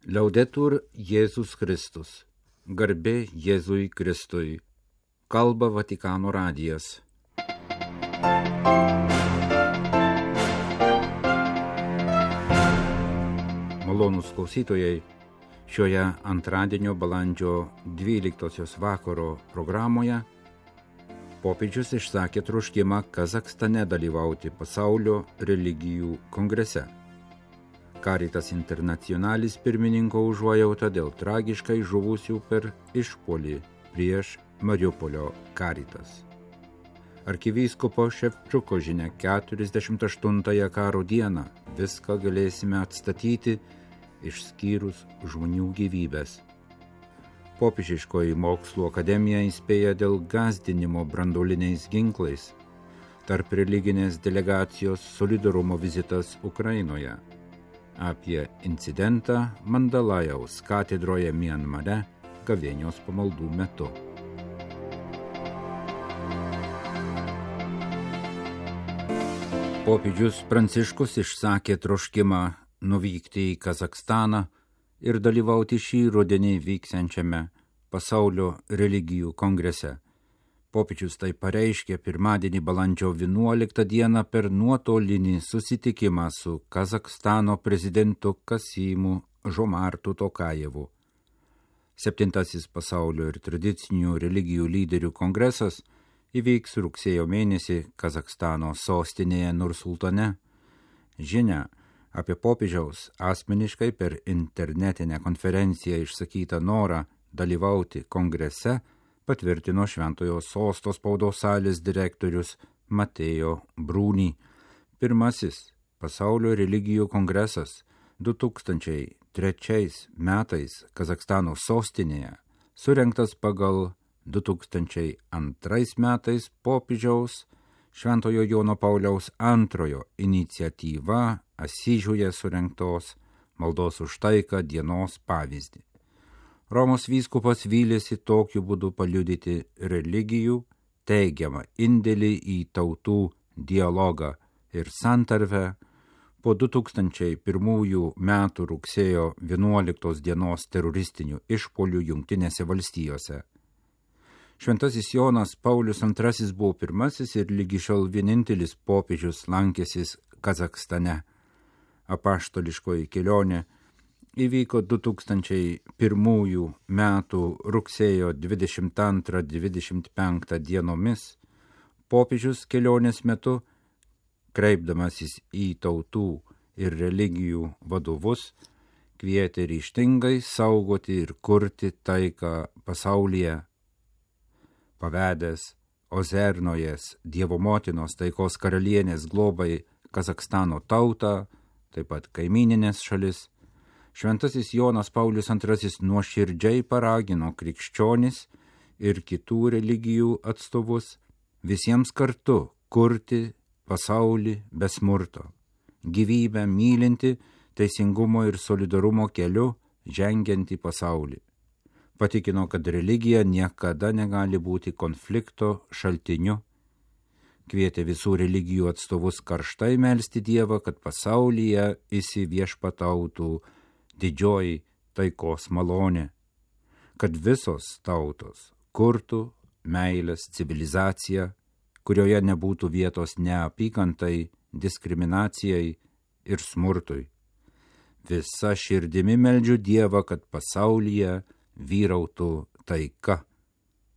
Liaudetur Jėzus Kristus. Garbė Jėzui Kristui. Kalba Vatikano radijas. Malonūs klausytojai, šioje antradienio balandžio 12 vakaro programoje popiežius išsakė troškimą Kazachstane dalyvauti pasaulio religijų kongrese. Caritas Internationalis pirmininko užuojauta dėl tragiškai žuvusių per išpuolį prieš Mariupolio Caritas. Arkivyskupo Ševčiuko žinia 48-ąją karo dieną viską galėsime atstatyti, išskyrus žmonių gyvybės. Popiežiškoji Mokslų akademija įspėja dėl gąsdinimo branduoliniais ginklais. Tarp religinės delegacijos solidarumo vizitas Ukrainoje. Apie incidentą Mandalajaus katedroje Mianmare gavėnios pamaldų metu. Popiežius Pranciškus išsakė troškimą nuvykti į Kazachstaną ir dalyvauti šį rudenį vyksiančiame pasaulio religijų kongrese. Popiežius tai pareiškė pirmadienį balandžio 11 dieną per nuotolinį susitikimą su Kazachstano prezidentu Kasymu Žomartu Tokajevu. 7. pasaulio ir tradicinių religijų lyderių kongresas įvyks rugsėjo mėnesį Kazachstano sostinėje Nursultane. Žinia apie popiežiaus asmeniškai per internetinę konferenciją išsakytą norą dalyvauti kongrese patvirtino Šventojo Sosto spaudos salės direktorius Mateo Bruni. Pirmasis pasaulio religijų kongresas 2003 metais Kazachstano sostinėje surengtas pagal 2002 metais popiežiaus Šventojo Jono Pauliaus II iniciatyva Asyžiuje surengtos maldos už taiką dienos pavyzdį. Romos vyskupas vylėsi tokiu būdu paliudyti religijų teigiamą indėlį į tautų dialogą ir santarvę po 2001 metų rugsėjo 11 dienos teroristinių išpuolių Jungtinėse valstijose. Šventasis Jonas Paulius II buvo pirmasis ir lygi šiol vienintelis popiežius lankęsis Kazachstane. Apaštališkoji kelionė įvyko 2001 metų rugsėjo 22-25 dienomis. Popiežius kelionės metu, kreipdamasis į tautų ir religijų vadovus, kvietė ryžtingai saugoti ir kurti taiką pasaulyje. Pavedęs Ozernojas Dievo motinos taikos karalienės globai Kazachstano tautą, taip pat kaimyninės šalis, Šventasis Jonas Paulius II nuoširdžiai paragino krikščionis ir kitų religijų atstovus visiems kartu kurti pasaulį be smurto, gyvybę mylinti, teisingumo ir solidarumo keliu žengiantį pasaulį. Patikino, kad religija niekada negali būti konflikto šaltiniu. Kvietė visų religijų atstovus karštai melsti Dievą, kad pasaulyje įsiviešpatautų didžioji taikos malonė, kad visos tautos kurtų meilės civilizaciją, kurioje nebūtų vietos neapykantai, diskriminacijai ir smurtui. Visa širdimi meldžiu Dievą, kad pasaulyje vyrautų taika,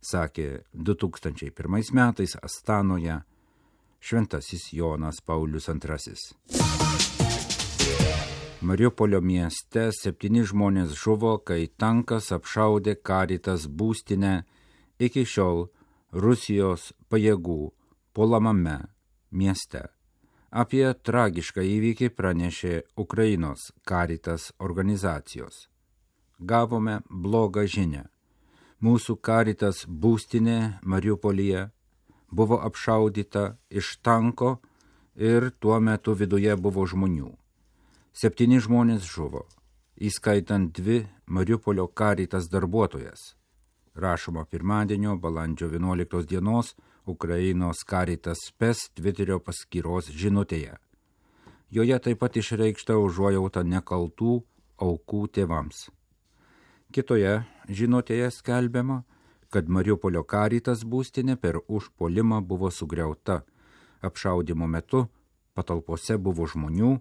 sakė 2001 metais Astanoje Šventasis Jonas Paulius II. Mariupolio mieste 7 žmonės žuvo, kai tankas apšaudė Caritas būstinę iki šiol Rusijos pajėgų puolamame mieste. Apie tragišką įvykį pranešė Ukrainos Caritas organizacijos. Gavome blogą žinią. Mūsų Caritas būstinė Mariupolyje buvo apšaudyta iš tanko ir tuo metu viduje buvo žmonių. 7 žmonės žuvo, įskaitant 2 Mariupolio Caritas darbuotojas. Rašoma pirmadienio balandžio 11 dienos Ukrainos Caritas Spes Twitterio paskyros žinutėje. Joje taip pat išreikšta užuojauta nekaltų aukų tėvams. Kitoje žinutėje skelbiama, kad Mariupolio Caritas būstinė per užpuolimą buvo sugriauta. Apšaudymo metu patalpose buvo žmonių,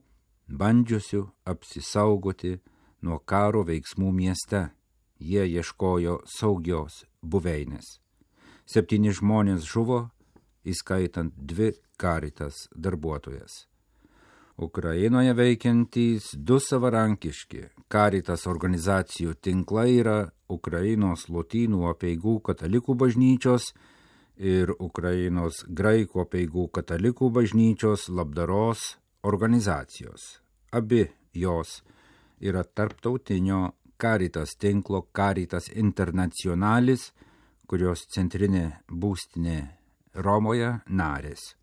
bandžiusių apsisaugoti nuo karo veiksmų mieste. Jie ieškojo saugios buveinės. 7 žmonės žuvo, įskaitant 2 Caritas darbuotojas. Ukrainoje veikiantys 2 savarankiški Caritas organizacijų tinklai yra Ukrainos Lotynų apeigų katalikų bažnyčios ir Ukrainos graikų apeigų katalikų bažnyčios labdaros organizacijos. Abi jos yra tarptautinio Caritas tinklo Caritas Internationalis, kurios centrinė būstinė Romoje narės.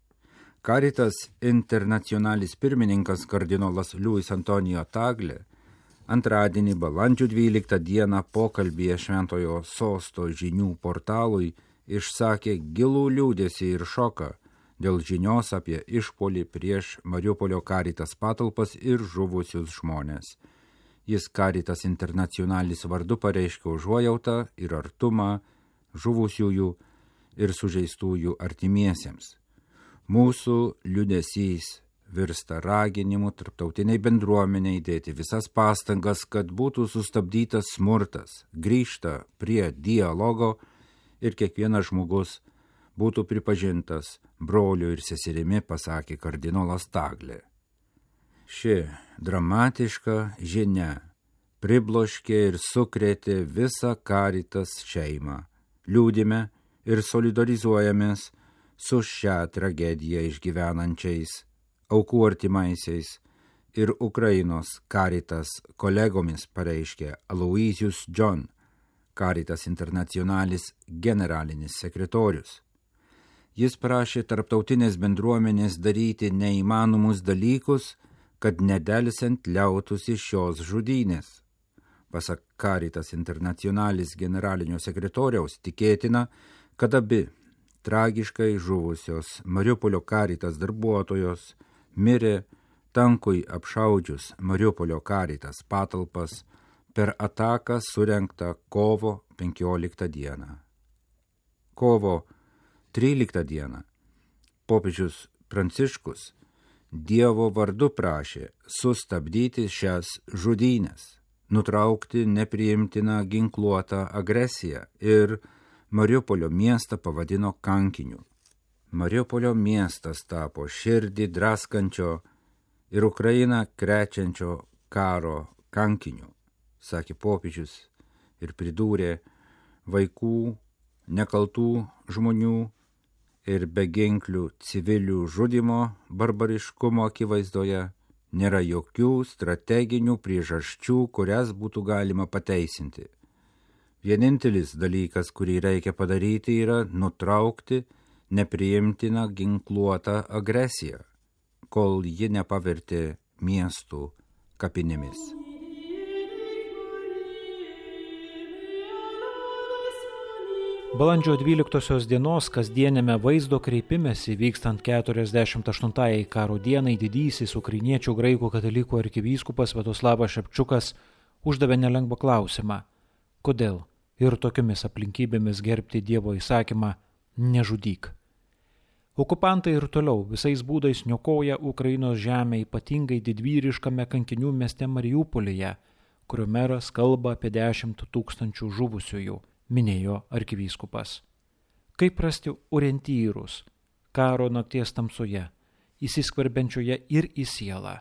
Caritas Internationalis pirmininkas kardinolas Luis Antonijo Tagle antradienį balandžio 12 dieną pokalbyje Šventojo Sosto žinių portalui išsakė gilų liūdesį ir šoką dėl žinios apie išpuolį prieš Mariupolio Caritas patalpas ir žuvusius žmonės. Jis Caritas Internationalis vardu pareiškė užuojautą ir artumą žuvusiųjų ir sužeistųjų artimiesiems. Mūsų liūdesys virsta raginimu tarptautiniai bendruomeniai dėti visas pastangas, kad būtų sustabdytas smurtas, grįžta prie dialogo ir kiekvienas žmogus būtų pripažintas broliu ir seserimi, pasakė kardinolas Tagle. Ši dramatiška žinia pribloškė ir sukrėtė visą Caritas šeimą. Liūdime ir solidarizuojamės su šią tragediją išgyvenančiais aukų artimaisiais ir Ukrainos Caritas kolegomis, pareiškė Aloysius John, Caritas Internationalis generalinis sekretorius. Jis prašė tarptautinės bendruomenės daryti neįmanomus dalykus, kad nedelsiant liautųsi šios žudynės. Pasak Caritas Internationalis generalinio sekretoriaus tikėtina, kad abi tragiškai žuvusios Mariupolio Caritas darbuotojos mirė tankui apšaudžius Mariupolio Caritas patalpas per ataką surengtą kovo 15 dieną. Kovo 13 dieną popiežius Pranciškus Dievo vardu prašė sustabdyti šias žudynės, nutraukti nepriimtiną ginkluotą agresiją ir Mariupolio miestą pavadino kankiniu. Mariupolio miestas tapo širdį draskančio ir Ukrainą krečiančio karo kankiniu, sakė popiežius ir pridūrė, vaikų, nekaltų žmonių ir beginklių civilių žudimo barbariškumo akivaizdoje nėra jokių strateginių priežasčių, kurias būtų galima pateisinti. Vienintelis dalykas, kurį reikia padaryti, yra nutraukti nepriimtiną ginkluotą agresiją, kol ji nepavertė miestų kapinėmis. Balandžio 12 dienos kasdienėme vaizdo kreipimesi vykstant 48 karo dienai didysis ukrainiečių graikų katalikų arkivyskupas Sviatoslavas Šepčiukas uždavė nelengvą klausimą, kodėl ir tokiomis aplinkybėmis gerbti Dievo įsakymą nežudyk. Okupantai ir toliau visais būdais niokoja Ukrainos žemę, ypatingai didvyriškame kankinių mieste Mariupolyje, kurio meras kalba apie 10 000 žuvusiųjų, minėjo arkivyskupas. Kaip rasti orientyrus karo nakties tamsoje, įsiskverbiančioje ir į sielą?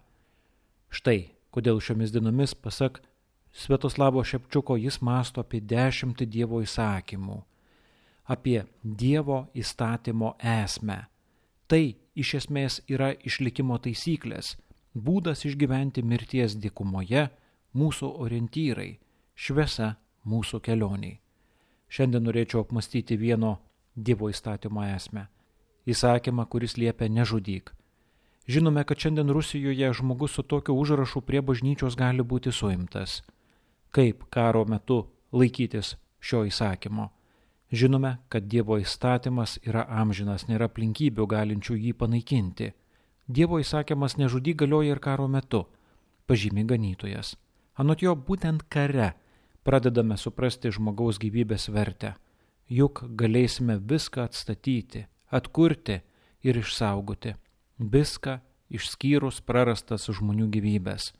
Štai, kodėl šiomis dienomis, pasak Sviatoslavo Šepčiuko, jis mąsto apie 10 Dievo įsakymų, apie Dievo įstatymo esmę. Tai iš esmės yra išlikimo taisyklės, būdas išgyventi mirties dykumoje, mūsų orientyrai, šviesa mūsų kelioniai. Šiandien norėčiau apmastyti vieno Dievo įstatymo esmę. Įsakymą, kuris liepia nežudyk. Žinome, kad šiandien Rusijoje žmogus su tokiu užrašu prie bažnyčios gali būti suimtas. Kaip karo metu laikytis šio įsakymo? Žinome, kad Dievo įstatymas yra amžinas, nėra aplinkybių galinčių jį panaikinti. Dievo įsakymas nežudyk galioja ir karo metu, pažymi ganytojas. Anot jo būtent kare pradedame suprasti žmogaus gyvybės vertę, juk galėsime viską atstatyti, atkurti ir išsaugoti, viską išskyrus prarastas žmonių gyvybės.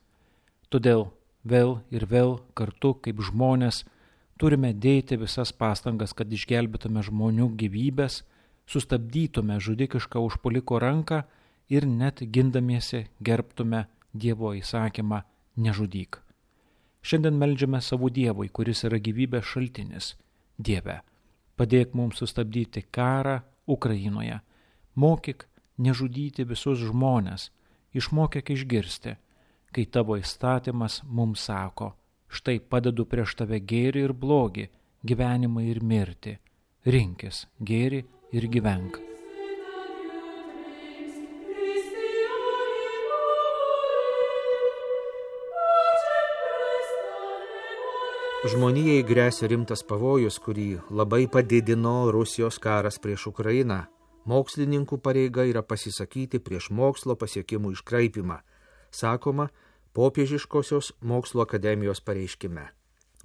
Todėl vėl ir vėl kartu kaip žmonės turime dėti visas pastangas, kad išgelbėtume žmonių gyvybės, sustabdytume žudikišką užpuoliko ranką ir net gindamiesi gerbtume Dievo įsakymą nežudyk. Šiandien meldžiame savo Dievui, kuris yra gyvybės šaltinis. Dieve, padėk mums sustabdyti karą Ukrainoje. Mokyk nežudyti visus žmones, išmokyk išgirsti, kai tavo įstatymas mums sako, štai padedu prieš tave gėrį ir blogį, gyvenimą ir mirtį. Rinkis gėrį ir gyvenk. Žmonijai gresia rimtas pavojus, kurį labai padidino Rusijos karas prieš Ukrainą. Mokslininkų pareiga yra pasisakyti prieš mokslo pasiekimų iškraipimą, sakoma Popiežiškosios mokslo akademijos pareiškime.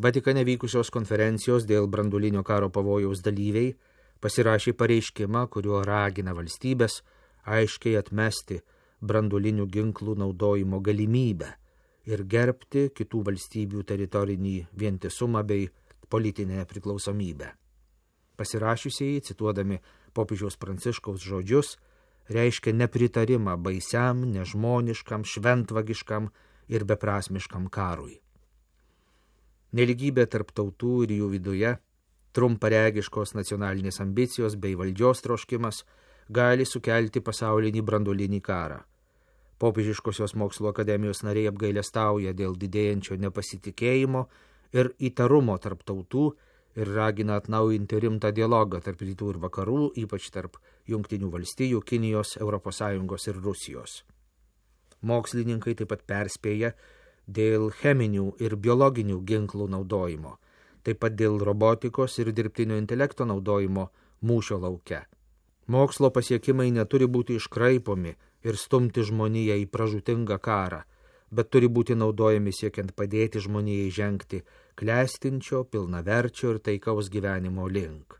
Vatikane vykusios konferencijos dėl branduolinio karo pavojaus dalyviai pasirašė pareiškimą, kuriuo ragina valstybės aiškiai atmesti branduolinių ginklų naudojimo galimybę ir gerbti kitų valstybių teritorinį vientisumą bei politinę priklausomybę. Pasirašiusieji, cituodami popiežiaus Pranciškaus žodžius, reiškia nepritarimą baisiam, nežmoniškam, šventvagiškam ir beprasmiškam karui. Neligybė tarp tautų ir jų viduje, trumparegiškos nacionalinės ambicijos bei valdžios troškimas gali sukelti pasaulinį branduolinį karą. Popiežiškosios mokslo akademijos nariai apgailestauja dėl didėjančio nepasitikėjimo ir įtarumo tarp tautų ir ragina atnaujinti rimtą dialogą tarp rytų ir vakarų, ypač tarp Jungtinių valstijų, Kinijos, ES ir Rusijos. Mokslininkai taip pat perspėja dėl cheminių ir biologinių ginklų naudojimo, taip pat dėl robotikos ir dirbtinio intelekto naudojimo mūšio lauke. Mokslo pasiekimai neturi būti iškraipomi ir stumti žmoniją į pražūtingą karą, bet turi būti naudojami siekiant padėti žmonijai žengti klestinčio, pilnaverčio ir taikaus gyvenimo link.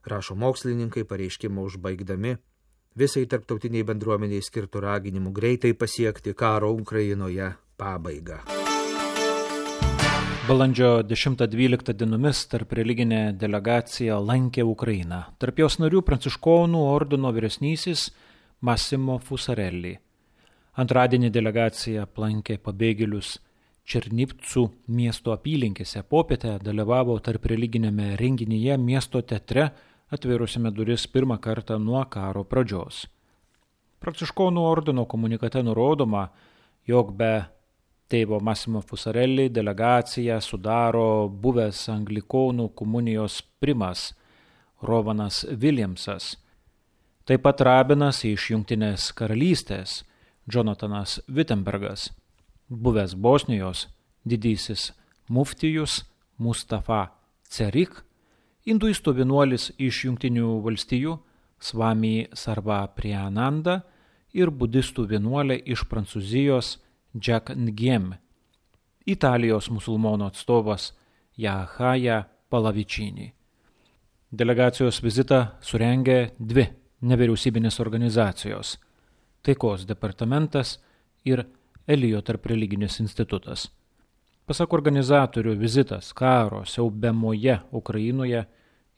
Rašo mokslininkai pareiškimą užbaigdami visai tarptautiniai bendruomeniai skirtų raginimų greitai pasiekti karo Ukrainoje pabaigą. Balandžio 10-12 dienomis tarp religinė delegacija lankė Ukrainą. Tarp jos narių pranciškonų ordino vyresnysis Massimo Fusarelli. Antradienį delegacija aplankė pabėgėlius Černivcų miesto apylinkėse. Popietę dalyvavo tarp religinėme renginyje miesto teatre, atvėrusiame duris pirmą kartą nuo karo pradžios. Pranciškonų ordino komunikate nurodoma, jog be tėvo Massimo Fusarelli delegaciją sudaro buvęs anglikonų komunijos primas Rovanas Williamsas, taip pat rabinas iš Jungtinės karalystės Jonathanas Wittenbergas, buvęs Bosnijos didysis muftijus Mustafa Cerik, hinduistų vienuolis iš Jungtinių valstijų Swami Sarva Priyananda ir budistų vienuolė iš Prancūzijos Jack Ngiem, Italijos musulmonų atstovas Jahaja Palavičini. Delegacijos vizitą surengė dvi nevyriausybinės organizacijos – Taikos departamentas ir Elijo tarpreliginis institutas. Pasak organizatorių, vizitas karo siaubiamoje Ukrainoje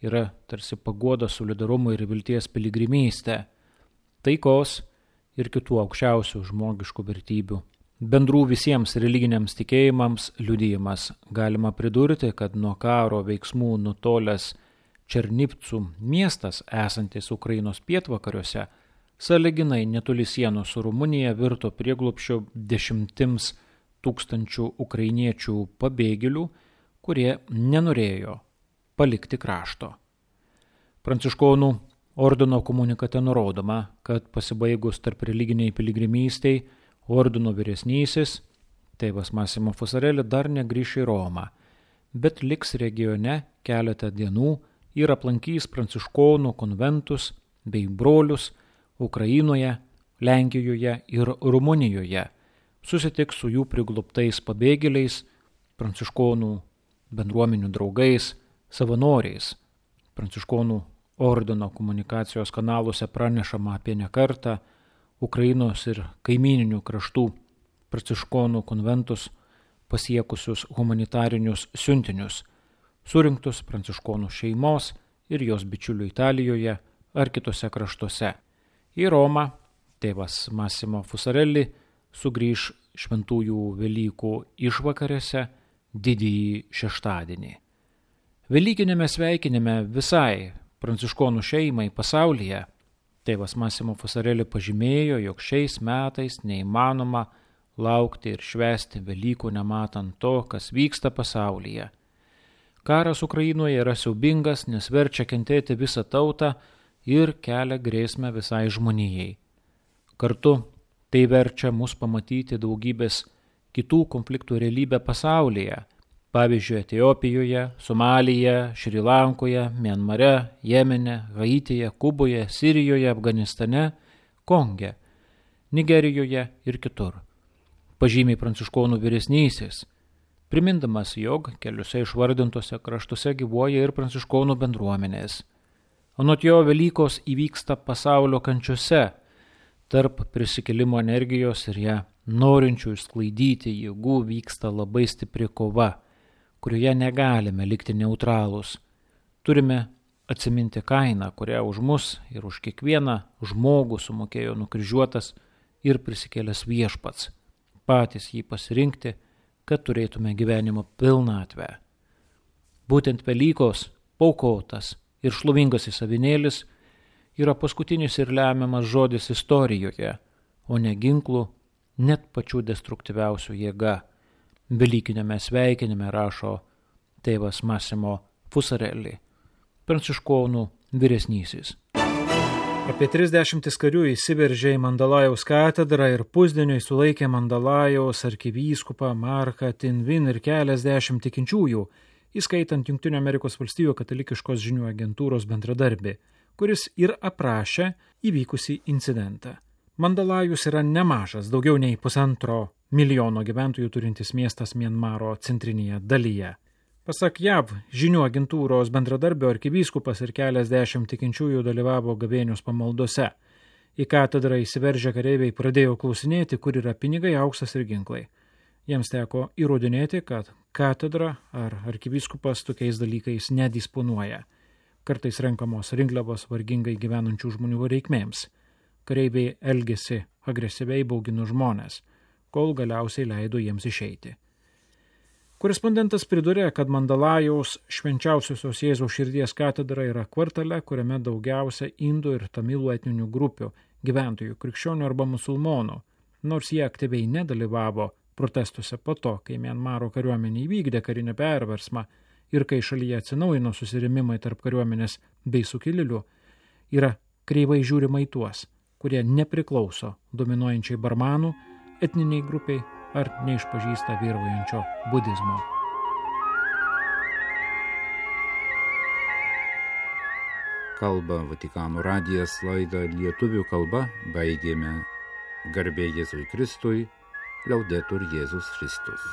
yra tarsi paguoda solidarumo ir vilties piligrimystė, taikos ir kitų aukščiausių žmogiškų vertybių. Bendrų visiems religiniams tikėjimams liudijimas. Galima pridurti, kad nuo karo veiksmų nutolęs Černivcų miestas, esantis Ukrainos pietvakariuose, sąlyginai netoli sienos su Rumunija virto prieglobsčiu 10 000 ukrainiečių pabėgėlių, kurie nenorėjo palikti krašto. Pranciškonų ordino komunikate nurodoma, kad pasibaigus tarp religiniai piligrimystei ordino vyresnysis, tėvas Massimo Fusarelli dar negrįš į Romą, bet liks regione keletą dienų ir aplankys pranciškonų konventus bei brolius Ukrainoje, Lenkijoje ir Rumunijoje, susitiks su jų priglobtais pabėgėliais, pranciškonų bendruomenių draugais, savanoriais. Pranciškonų ordino komunikacijos kanaluose pranešama apie nekartą Ukrainos ir kaimininių kraštų pranciškonų konventus pasiekusius humanitarinius siuntinius, surinktus pranciškonų šeimos ir jos bičiulių Italijoje ar kitose kraštuose. Į Romą tėvas Massimo Fusarelli sugrįž šventųjų Velykų išvakarėse didįjį šeštadienį. Velykinėme sveikinime visai pranciškonų šeimai pasaulyje tėvas Massimo Fusarelli pažymėjo, jog šiais metais neįmanoma laukti ir švęsti Velykų nematant to, kas vyksta pasaulyje. Karas Ukrainoje yra siaubingas, nes verčia kentėti visą tautą ir kelia grėsmę visai žmonijai. Kartu tai verčia mus pamatyti daugybės kitų konfliktų realybę pasaulyje, pavyzdžiui, Etiopijoje, Somalyje, Šri Lankoje, Mianmare, Jemene, Haityje, Kuboje, Sirijoje, Afganistane, Konge, Nigerijoje ir kitur. Pažymiai pranciškonų vyresnysis, primindamas, jog keliuose išvardintose kraštuose gyvuoja ir pranciškonų bendruomenės. Anot jo, Velykos įvyksta pasaulio kančiose, tarp prisikėlimo energijos ir ją norinčių išsklaidyti jėgų vyksta labai stipri kova, kurioje negalime likti neutralūs. Turime atsiminti kainą, kurią už mus ir už kiekvieną žmogų sumokėjo nukryžiuotas ir prisikėlęs viešpats, patys jį pasirinkti, kad turėtume gyvenimo pilnatvę. Būtent Velykos, paaukotas ir šlovingasis avinėlis yra paskutinis ir lemiamas žodis istorijoje, o ne ginklų, net pačių destruktyviausių jėga. Velykinėme sveikinime rašo tėvas Massimo Fusarelli, pranciškonų vyresnysis. Apie 30 karių įsiveržė į Mandalajaus katedrą ir pusdieniui sulaikė Mandalajaus arkivyskupą Marką Tinvin ir keliasdešimt tikinčiųjų, įskaitant Jungtinių Amerikos valstijų katalikiškos žinių agentūros bendradarbį, kuris ir aprašė įvykusį incidentą. Mandalajus yra nemažas, daugiau nei 1,5 milijono gyventojų turintis miestas Mianmaro centrinėje dalyje. Pasak JAV žinių agentūros bendradarbio arkivyskupas ir keliasdešimt tikinčiųjų dalyvavo gavėnios pamaldose. Į katedrą įsiveržę kareiviai pradėjo klausinėti, kur yra pinigai, auksas ir ginklai. Jiems teko įrodinėti, kad katedra ar arkivyskupas tokiais dalykais nedisponuoja. Kartais renkamos rinkliavos vargingai gyvenančių žmonių reikmėms. Kareiviai elgėsi agresyviai, baugino žmonės, kol galiausiai leido jiems išeiti. Korespondentas pridūrė, kad Mandalajaus švenčiausiosios Jėzaus širdies katedra yra kvartale, kuriame daugiausia indų ir tamilų etninių grupių, gyventojų, krikščionių arba musulmonų, nors jie aktyviai nedalyvavo protestuose po to, kai Mianmaro kariuomenė įvykdė karinę perversmą ir kai šalyje atsinaujino susirėmimai tarp kariuomenės bei sukilėlių, yra kreivai žiūrima į tuos, kurie nepriklauso dominuojančiai barmanų, etniniai grupiai ar neišpažįsta vyraujančio budizmo. Kalba Vatikano radijas, laidą lietuvių kalba baigėme. Garbė Jėzui Kristui, Liaudetur Jėzus Kristus.